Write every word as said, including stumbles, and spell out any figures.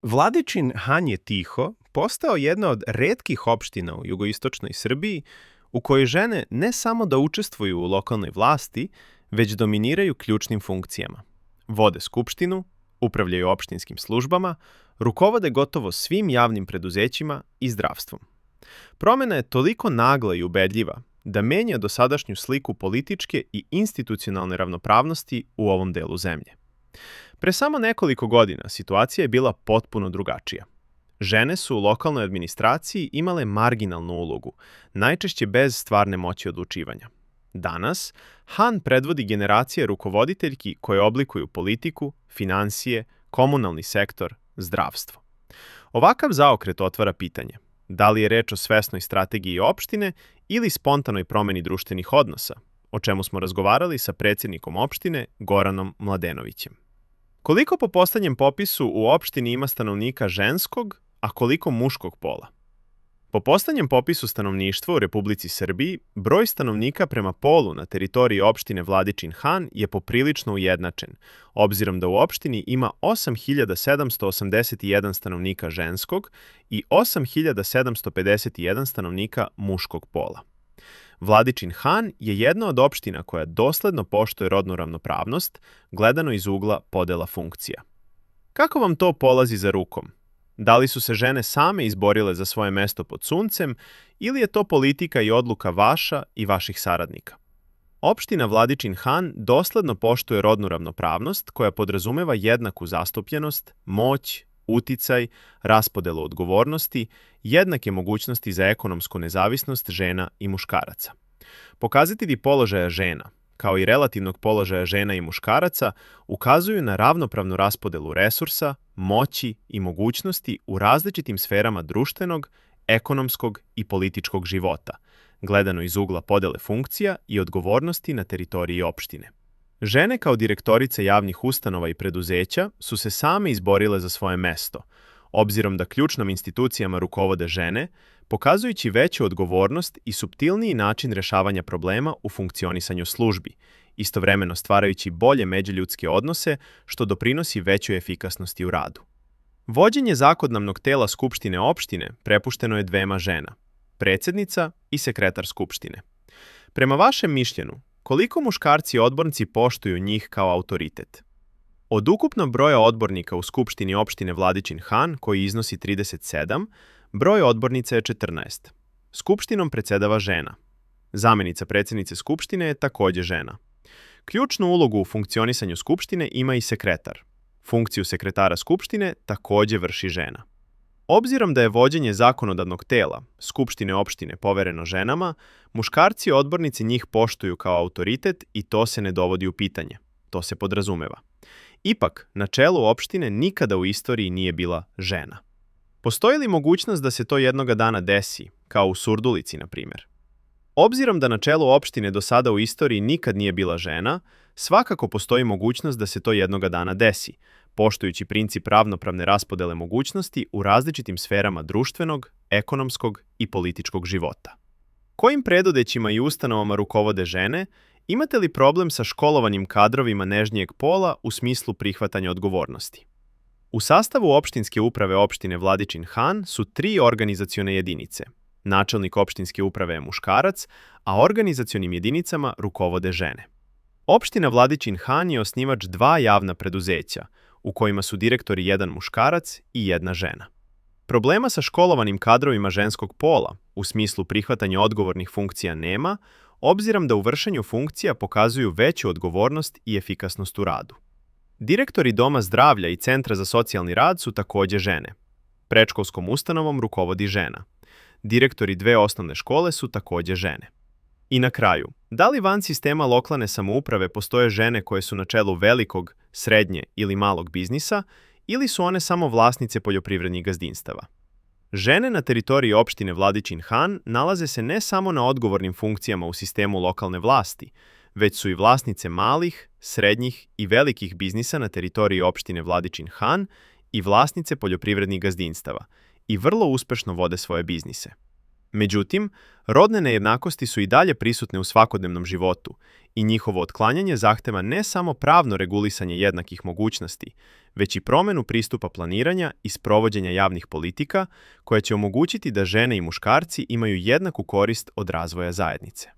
Vladičin Han je Tiho postao jedna od retkih opština u jugoistočnoj Srbiji u kojoj žene ne samo da učestvuju u lokalnoj vlasti, već dominiraju ključnim funkcijama. Vode skupštinu, upravljaju opštinskim službama, rukovode gotovo svim javnim preduzećima i zdravstvom. Promena je toliko nagla i ubedljiva da menja dosadašnju sliku političke i institucionalne ravnopravnosti u ovom delu zemlje. Pre samo nekoliko godina situacija je bila potpuno drugačija. Žene su u lokalnoj administraciji imale marginalnu ulogu, najčešće bez stvarne moći odlučivanja. Danas, Han predvodi generacije rukovoditeljki koje oblikuju politiku, finansije, komunalni sektor, zdravstvo. Ovakav zaokret otvara pitanje: da li je reč o svesnoj strategiji opštine ili spontanoj promeni društvenih odnosa, o čemu smo razgovarali sa predsjednikom opštine Goranom Mladenovićem. Koliko po poslednjem popisu u opštini ima stanovnika ženskog, a koliko muškog pola? Po poslednjem popisu stanovništva u Republici Srbiji, broj stanovnika prema polu na teritoriji opštine Vladičin Han je poprilično ujednačen, obzirom da u opštini ima osam hiljada sedamsto osamdeset jedan stanovnika ženskog i osam hiljada sedamsto pedeset jedan stanovnika muškog pola. Vladičin Han je jedna od opština koja dosledno poštuje rodnu ravnopravnost, gledano iz ugla podela funkcija. Kako vam to polazi za rukom? Da li su se žene same izborile za svoje mesto pod suncem ili je to politika i odluka vaša i vaših saradnika? Opština Vladičin Han dosledno poštuje rodnu ravnopravnost koja podrazumeva jednaku zastupljenost, moć, uticaj, raspodelu odgovornosti, jednake mogućnosti za ekonomsku nezavisnost žena i muškaraca. Pokazatelji položaja žena, kao i relativnog položaja žena i muškaraca, ukazuju na ravnopravnu raspodelu resursa, moći i mogućnosti u različitim sferama društvenog, ekonomskog i političkog života, gledano iz ugla podele funkcija i odgovornosti na teritoriji opštine. Žene kao direktorice javnih ustanova i preduzeća su se same izborile za svoje mesto, obzirom da ključnom institucijama rukovode žene, pokazujući veću odgovornost i suptilniji način rešavanja problema u funkcionisanju službi, istovremeno stvarajući bolje međuljudske odnose, što doprinosi većoj efikasnosti u radu. Vođenje zakonodavnog tela Skupštine opštine prepušteno je dvema žena, predsjednica i sekretar Skupštine. Prema vašem mišljenju, koliko muškarci odbornici poštuju njih kao autoritet? Od ukupnog broja odbornika u Skupštini opštine Vladičin Han, koji iznosi trideset sedam, broj odbornica je četrnaest. Skupštinom predsedava žena. Zamenica predsjednice Skupštine je takođe žena. Ključnu ulogu u funkcionisanju Skupštine ima i sekretar. Funkciju sekretara Skupštine takođe vrši žena. Obzirom da je vođenje zakonodavnog tela Skupštine opštine povereno ženama, muškarci odbornici njih poštuju kao autoritet i to se ne dovodi u pitanje. To se podrazumeva. Ipak, na čelu opštine nikada u istoriji nije bila žena. Postoji li mogućnost da se to jednoga dana desi, kao u Surdulici, na primjer? Obzirom da na čelu opštine do sada u istoriji nikad nije bila žena, svakako postoji mogućnost da se to jednoga dana desi, poštujući princip ravnopravne raspodele mogućnosti u različitim sferama društvenog, ekonomskog i političkog života. Kojim preduzećima i ustanovama rukovode žene? Imate li problem sa školovanim kadrovima nežnijeg pola u smislu prihvatanja odgovornosti? U sastavu opštinske uprave opštine Vladičin Han su tri organizacione jedinice. Načelnik opštinske uprave je muškarac, a organizacionim jedinicama rukovode žene. Opština Vladičin Han je osnivač dva javna preduzeća, u kojima su direktori jedan muškarac i jedna žena. Problema sa školovanim kadrovima ženskog pola u smislu prihvatanja odgovornih funkcija nema, obzirom da u vršenju funkcija pokazuju veću odgovornost i efikasnost u radu. Direktori Doma zdravlja i Centra za socijalni rad su takođe žene. Predškolskom ustanovom rukovodi žena. Direktori dve osnovne škole su takođe žene. I na kraju, da li van sistema lokalne samouprave postoje žene koje su na čelu velikog, srednje ili malog biznisa, ili su one samo vlasnice poljoprivrednih gazdinstava? Žene na teritoriji opštine Vladičin Han nalaze se ne samo na odgovornim funkcijama u sistemu lokalne vlasti, već su i vlasnice malih, srednjih i velikih biznisa na teritoriji opštine Vladičin Han i vlasnice poljoprivrednih gazdinstava i vrlo uspešno vode svoje biznise. Međutim, rodne nejednakosti su i dalje prisutne u svakodnevnom životu i njihovo otklanjanje zahteva ne samo pravno regulisanje jednakih mogućnosti, već i promenu pristupa planiranja i sprovođenja javnih politika koje će omogućiti da žene i muškarci imaju jednaku korist od razvoja zajednice.